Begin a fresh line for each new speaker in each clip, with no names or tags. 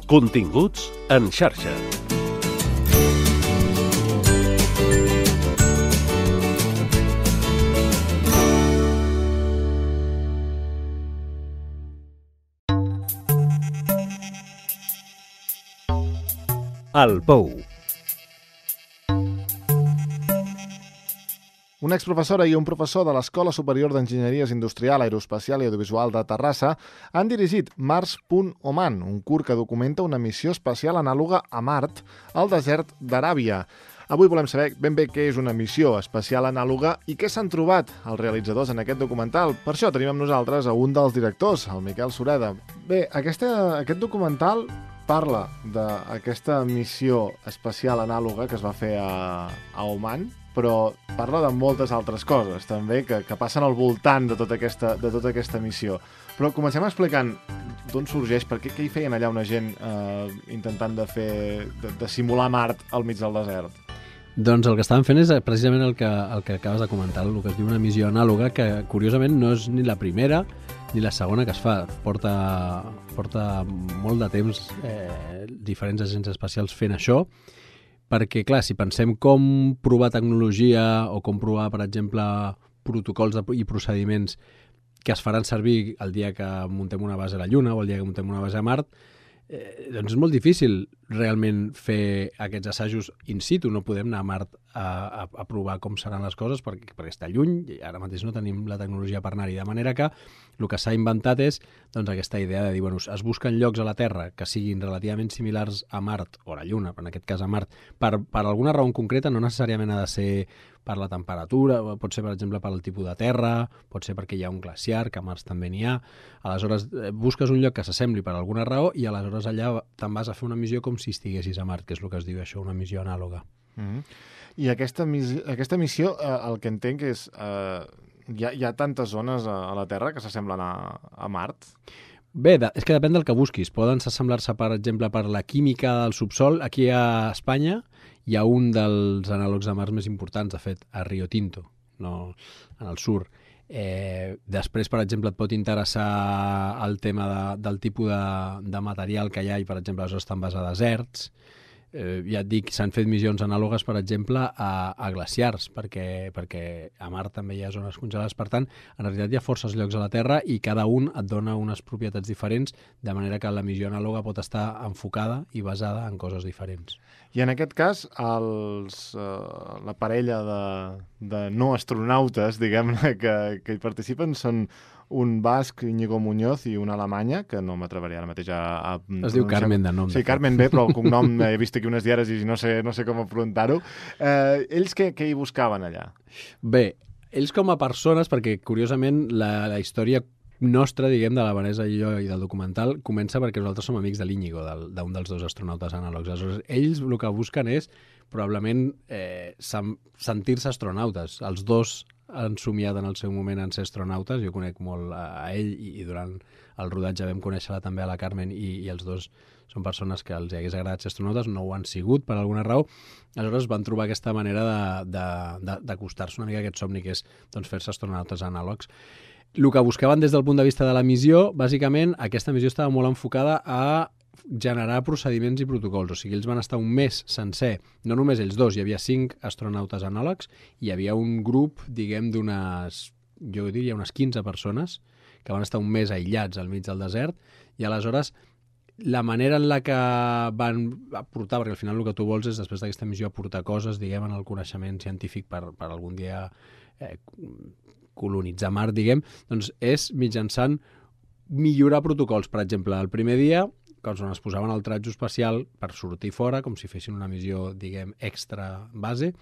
Continguts en xarxa. El Pou.
Una exprofessora i un professor de l'Escola Superior d'Enginyeries Industrial, Aeroespacial i Audiovisual de Terrassa han dirigit Mars.Oman, un curt que documenta una missió espacial anàloga a Mart al desert d'Aràbia. Avui volem saber ben bé què és una missió espacial anàloga i què s'han trobat els realitzadors en aquest documental. Per això tenim amb nosaltres a un dels directors, el Miquel Sureda. Bé, aquest documental parla d'aquesta missió espacial anàloga que es va fer a Oman, però parla de moltes altres coses també que passen al voltant de tota aquesta missió. Però comencem explicant d'on sorgeix, per què hi feien allà una gent intentant de simular Mart al mig del desert?
Doncs el que estaven fent és precisament el que acabes de comentar, el que es diu una missió anàloga, que curiosament no és ni la primera ni la segona que es fa. Porta molt de temps diferents agents espacials fent això, perquè, clar, si pensem com provar tecnologia o com provar, per exemple, protocols i procediments que es faran servir el dia que muntem una base a la Lluna o el dia que muntem una base a Mart, doncs és molt difícil realment fer aquests assajos in situ. No podem anar a Mart a provar com seran les coses perquè està lluny i ara mateix no tenim la tecnologia per anar-hi. De manera que el que s'ha inventat és aquesta idea de dir, es busquen llocs a la Terra que siguin relativament similars a Mart o a la Lluna, en aquest cas a Mart, per alguna raó concreta. No necessàriament ha de ser per la temperatura, pot ser, per exemple, per el tipus de terra, pot ser perquè hi ha un glaciar, que a Mars també n'hi ha. Aleshores, busques un lloc que s'assembli per alguna raó i aleshores allà te'n vas a fer una missió com si estiguessis a Mart, que és el que es diu això, una missió anàloga.
I aquesta missió, el que entenc és... Hi ha tantes zones a la Terra que s'assemblen a Mart?
Bé, és que depèn del que busquis. Poden s'assemblar-se, per exemple, per la química del subsol. Aquí a Espanya hi ha un dels anàlegs de Mars més importants, de fet, a Rio Tinto, no, en el sur. Després, per exemple, et pot interessar el tema del tipus de material que hi ha i, per exemple, aleshores te'n vas a deserts. Ja et dic, s'han fet missions anàlogues, per exemple, a glaciars, perquè a Mart també hi ha zones congelades. Per tant, en realitat hi ha forces llocs a la Terra i cada un et dona unes propietats diferents, de manera que la missió anàloga pot estar enfocada i basada en coses diferents.
I en aquest cas, la parella de no astronautes, diguem-ne, que hi participen són un basc, Íñigo Muñoz, i una alemanya, que no m'atreveré ara mateix a
es diu Carmen de nom.
Sí, Carmen bé, però el cognom he vist aquí unes diàresis i no sé com afrontar-ho. Ells què hi buscaven allà?
Bé, ells com a persones, perquè curiosament la història nostra, diguem, de la Vanessa i jo i del documental, comença perquè nosaltres som amics de l'Íñigo, d'un dels dos astronautes anàlogs. Aleshores, ells el que busquen és probablement sentir-se astronautes. Els dos han somiat en el seu moment en ser astronautes. Jo conec molt a ell i durant el rodatge vam conèixer també a la Carmen i els dos són persones que els hagués agradat ser astronautes, no ho han sigut per alguna raó. Aleshores van trobar aquesta manera d'acostar-se una mica a aquest somni que és fer-se astronautes anàlegs. El que buscaven des del punt de vista de la missió, bàsicament, aquesta missió estava molt enfocada a generar procediments i protocols. O sigui, ells van estar un mes sencer, no només ells dos, hi havia 5 astronautes anàlegs i hi havia un grup, diguem, jo diria unes 15 persones que van estar un mes aïllats al mig del desert i aleshores la manera en la que van aportar, perquè al final el que tu vols és, després d'aquesta missió, aportar coses, diguem, en el coneixement científic per algun dia colonitzar Mart, diguem, doncs és mitjançant millorar protocols. Per exemple, el primer dia, quan es posaven el tratge espacial per sortir fora, com si fessin una missió, diguem, extra base,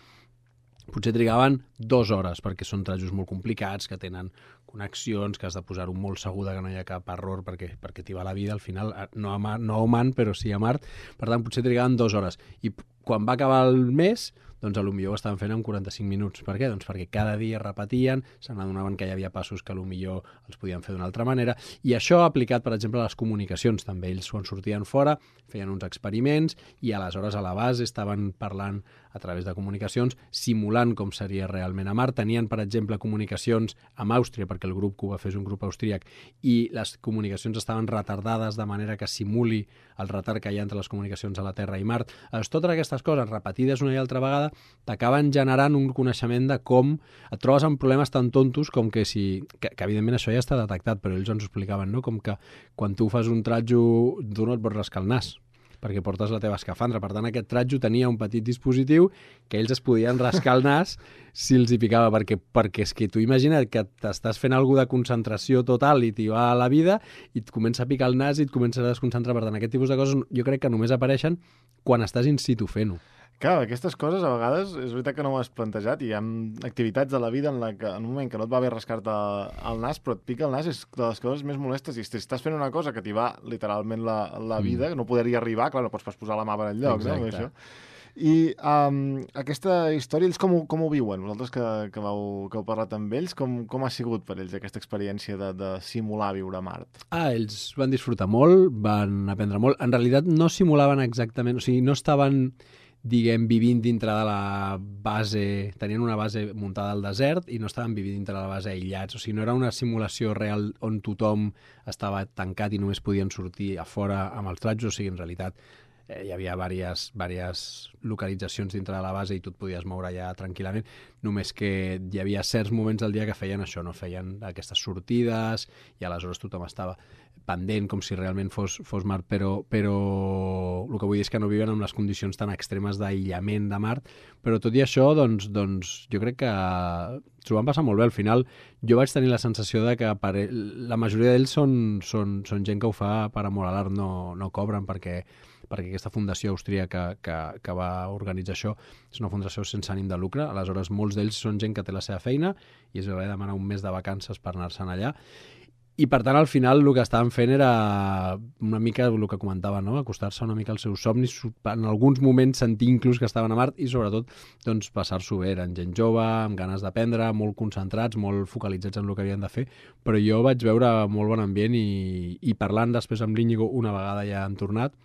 potser trigaven 2 hores, perquè són tratjos molt complicats, que tenen connexions, que has de posar-ho molt segur que no hi ha cap error perquè t'hi va la vida, al final, no a Oman, però sí a Mart. Per tant, potser trigaven 2 hores. I quan va acabar el mes, doncs potser ho estaven fent en 45 minuts. Per què? Doncs perquè cada dia repetien, se n'adonaven que hi havia passos que potser els podien fer d'una altra manera, i això ha aplicat, per exemple, a les comunicacions també. Ells, quan sortien fora, feien uns experiments i aleshores a la base estaven parlant a través de comunicacions, simulant com seria realment a Mart. Tenien, per exemple, comunicacions amb Àustria, perquè el grup que ho va fer és un grup austríac, i les comunicacions estaven retardades de manera que simuli el retard que hi ha entre les comunicacions a la Terra i Mart. Llavors, totes aquestes coses repetides una i altra vegada t'acaben generant un coneixement de com et trobes amb problemes tan tontos com que que evidentment això ja està detectat, però ells ens ho explicaven, no? Com que quan tu fas un tratjo, tu no et pots rascar el nas perquè portes la teva escafandra. Per tant, aquest tratjo tenia un petit dispositiu que ells es podien rascar el nas si els hi picava, perquè és que tu imagina't que t'estàs fent alguna de concentració total i t'hi va a la vida i et comença a picar el nas i et comença a desconcentrar. Per tant, aquest tipus de coses jo crec que només apareixen quan estàs in situ fent-ho.
Clar, aquestes coses a vegades és veritat que no ho has plantejat i hi ha activitats de la vida en la que en un moment que no et va bé rascar-te el nas però et pica el nas és de les coses més molestes i si estàs fent una cosa que t'hi va literalment la vida, que no poder-hi arribar, clar, no pots pas posar la mà per enlloc, no? Això. I aquesta història, ells com ho viuen? Vosaltres que heu parlat amb ells, com ha sigut per ells aquesta experiència de simular viure a Mart?
Ells van disfrutar molt, van aprendre molt. En realitat no simulaven exactament, o sigui, no estaven vivint dintre de la base, tenien una base muntada al desert i no estaven vivint dintre de la base aïllats, o sigui, no era una simulació real on tothom estava tancat i només podien sortir a fora amb els tratjos, o sigui, en realitat hi havia diverses localitzacions dintre de la base i tu et podies moure allà tranquil·lament, només que hi havia certs moments del dia que feien això, no feien aquestes sortides i aleshores tothom estava pendent com si realment fos Mart, però el que vull dir és que no viuen en les condicions tan extremes d'aïllament de Mart, però tot i això, doncs jo crec que s'ho van passar molt bé. Al final jo vaig tenir la sensació de que la majoria d'ells són gent que ho fa per amor a l'art, no cobren perquè aquesta fundació austríaca que va organitzar això és una fundació sense ànim de lucre, aleshores molts d'ells són gent que té la seva feina i es va haver de demanar un mes de vacances per anar-se'n allà. I per tant, al final, el que estaven fent era una mica el que comentava, no? Acostar-se una mica als seus somnis, en alguns moments sentir inclús que estaven a Mart i, sobretot, doncs, passar-s'ho bé. Eren gent jove, amb ganes d'aprendre, molt concentrats, molt focalitzats en el que havien de fer, però jo vaig veure molt bon ambient i parlant després amb l'Íñigo, una vegada ja han tornat,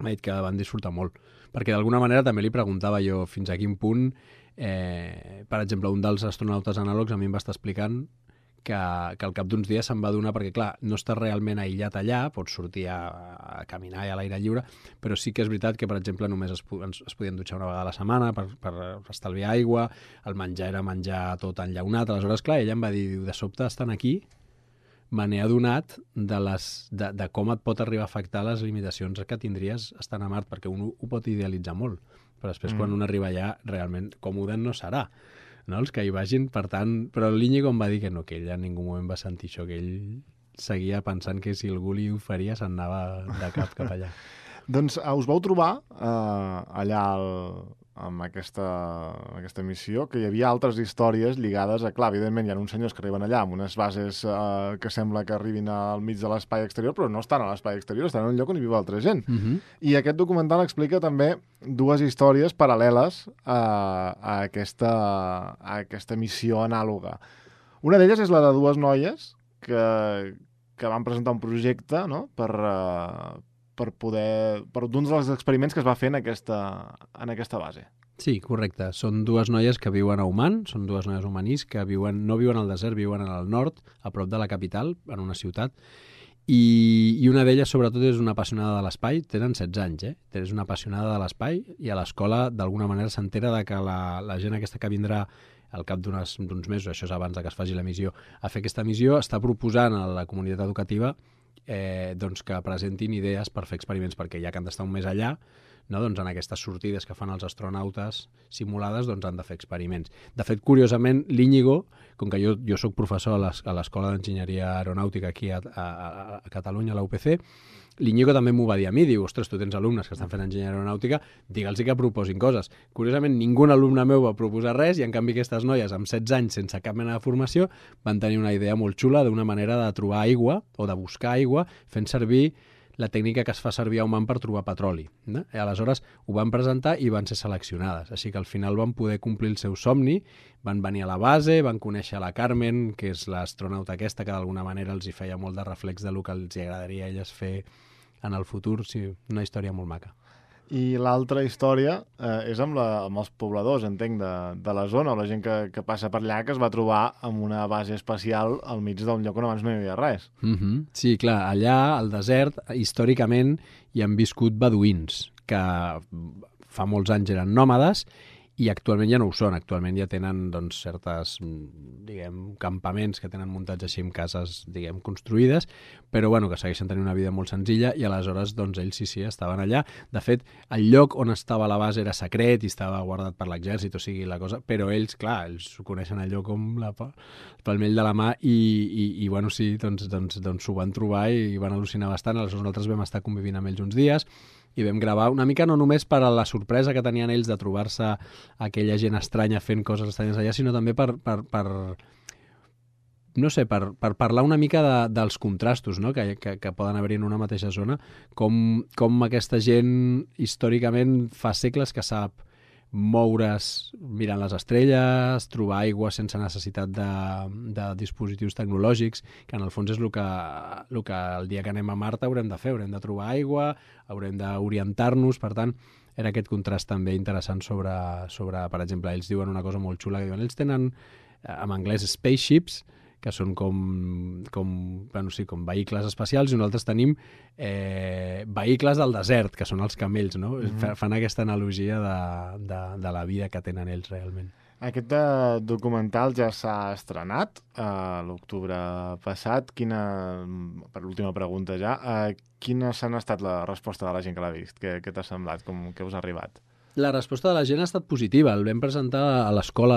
m'ha dit que van disfrutar molt. Perquè d'alguna manera també li preguntava jo fins a quin punt, per exemple, un dels astronautes anàlogs a mi em va estar explicant que al cap d'uns dies se'n va adonar, perquè clar, no està realment aïllat allà, pots sortir a caminar i a l'aire lliure, però sí que és veritat que, per exemple, només es podien dutxar una vegada a la setmana per estalviar aigua, el menjar era menjar tot enllaunat, aleshores, clar, ella em va dir, de sobte estan aquí, me n'he adonat de com et pot arribar a afectar les limitacions que tindries estant a Mart, perquè un ho pot idealitzar molt, però després quan un arriba allà, realment còmode no serà. No, els que hi vagin, per tant... Però l'Íñigo em va dir que no, que ell en ningú moment va sentir això, que ell seguia pensant que si algú li ho faria se'n anava de cap allà.
Doncs us vau trobar allà amb aquesta missió, que hi havia altres històries lligades a... Clar, evidentment, hi ha uns senyors que arriben allà amb unes bases que sembla que arribin al mig de l'espai exterior, però no estan a l'espai exterior, estan en un lloc on hi viu altra gent. I aquest documental explica també dues històries paral·leles a aquesta missió anàloga. Una d'elles és la de dues noies que van presentar un projecte, no?, per d'un dels experiments que es va fer en aquesta base.
Sí, correcte. Són dues noies que viuen a Oman, són dues noies omanís que no viuen al desert, viuen al nord, a prop de la capital, en una ciutat, i una d'elles, sobretot, és una apassionada de l'espai. Tenen 16 anys, És una apassionada de l'espai i a l'escola, d'alguna manera, s'entera de que la gent aquesta que vindrà al cap d'uns mesos, això és abans que es faci la missió, a fer aquesta missió, està proposant a la comunitat educativa doncs que presentin idees per fer experiments, perquè ja que han d'estar un mes allà, no? Doncs en aquestes sortides que fan els astronautes simulades doncs han de fer experiments. De fet, curiosament, l'Íñigo, com que jo soc professor a l'Escola d'Enginyeria Aeronàutica aquí a Catalunya, a la UPC, l'Íñigo també m'ho va dir a mi, diu, ostres, tu tens alumnes que estan fent enginyeria aeronàutica, digue'ls que proposin coses. Curiosament, ningú alumne meu va proposar res i, en canvi, aquestes noies amb 16 anys, sense cap mena de formació, van tenir una idea molt xula d'una manera de trobar aigua o de buscar aigua fent servir la tècnica que es fa servir a Oman per trobar petroli. No? I aleshores ho van presentar i van ser seleccionades. Així que al final van poder complir el seu somni, van venir a la base, van conèixer la Carmen, que és l'astronauta aquesta, que d'alguna manera els hi feia molt de reflex del que els agradaria a elles fer en el futur. Sí, una història molt maca.
I l'altra història és amb els pobladors, entenc, de la zona, o la gent que passa per allà, que es va trobar amb una base espacial al mig d'un lloc on abans no hi havia res.
Sí, clar, allà, al desert, històricament hi han viscut beduïns, que fa molts anys eren nòmades, i actualment ja no ho són. Actualment ja tenen doncs, certes, diguem, campaments que tenen muntats així amb cases, diguem, construïdes, però bueno, que segueixen tenint una vida molt senzilla i aleshores doncs, ells sí, estaven allà. De fet, el lloc on estava la base era secret i estava guardat per l'exèrcit, o sigui, la cosa... Però ells, clar, ells ho coneixen allò com el palmell de la mà i bueno, sí, doncs s'ho van trobar i van al·lucinar bastant. Aleshores nosaltres vam estar convivint amb ells uns dies i vam gravar una mica no només per a la sorpresa que tenien ells de trobar-se aquella gent estranya fent coses estranyes allà, sinó també per parlar una mica dels contrastos, no? que poden haver en una mateixa zona, com aquesta gent històricament fa segles que sap moure's mirant les estrelles, trobar aigua sense necessitat de dispositius tecnològics, que en el fons és el que el dia que anem a Mart haurem de fer, haurem de trobar aigua, haurem d'orientar-nos, per tant, era aquest contrast també interessant sobre, per exemple, ells diuen una cosa molt xula, que diuen, ells tenen, en anglès, spaceships, que són com vehicles espacials, i nosaltres tenim vehicles del desert, que són els camells, no? Fan aquesta analogia de la vida que tenen ells realment.
Aquest documental ja s'ha estrenat l'octubre passat. Per l'última pregunta ja, quina s'ha estat la resposta de la gent que l'ha vist? Què t'ha semblat? Què us ha arribat?
La resposta de la gent ha estat positiva. El vam presentar a l'Escola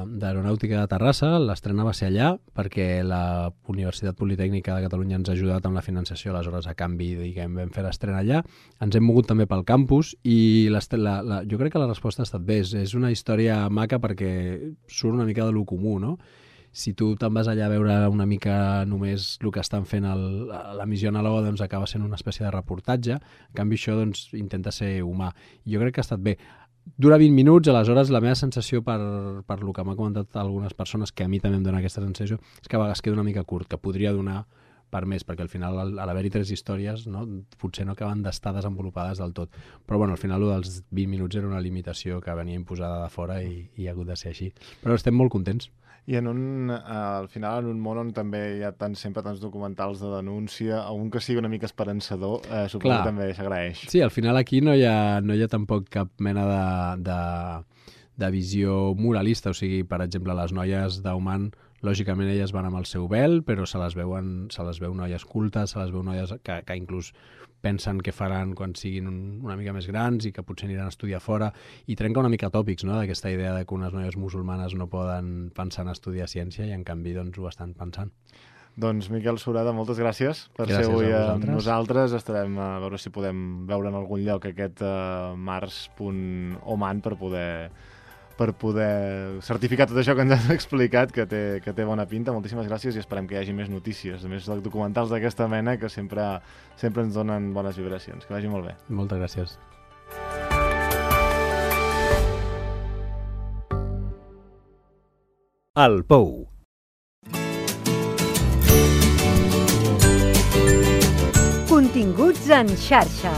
d'Aeronàutica de Terrassa, l'estrena va ser allà, perquè la Universitat Politècnica de Catalunya ens ha ajudat amb la financiació, aleshores a canvi, diguem, vam fer l'estrena allà. Ens hem mogut també pel campus i jo crec que la resposta ha estat bé. És una història maca perquè surt una mica de lo comú, no? Si tu te'n vas allà a veure una mica només el que estan fent a l'emissió anàloga, doncs acaba sent una espècie de reportatge. En canvi, això doncs, intenta ser humà. Jo crec que ha estat bé. Dura 20 minuts, aleshores la meva sensació per el que m'ha comentat algunes persones, que a mi també em dona aquesta sensació, és que a vegades queda una mica curt, que podria donar per més, perquè al final, a l'haver-hi 3 històries, no, potser no acaben d'estar desenvolupades del tot. Però bueno, al final dels 20 minuts era una limitació que venia imposada de fora i ha hagut de ser així. Però estem molt contents.
I al final, en un món on també hi ha sempre tants documentals de denúncia, un que sigui una mica esperançador, suposo que també s'agraeix.
Sí, al final aquí no hi ha tampoc cap mena de visió moralista, o sigui, per exemple, les noies d'Oman, lògicament elles van amb el seu vel, però se les veu noies cultes, se les veu noies que inclús pensen què faran quan siguin una mica més grans i que potser aniran a estudiar fora, i trenca una mica tòpics, no?, d'aquesta idea de que unes noies musulmanes no poden pensar en estudiar ciència i en canvi doncs ho estan pensant.
Doncs Miquel Sureda, moltes gràcies per ser avui amb nosaltres. Estarem a veure si podem veure en algun lloc aquest Mars.Oman per poder certificar tot això que ens has explicat, que té bona pinta. Moltíssimes gràcies i esperem que hi hagi més notícies, més documentals d'aquesta mena que sempre ens donen bones vibracions. Que vagi molt bé.
Moltes gràcies.
El Pou.
Continguts en xarxa.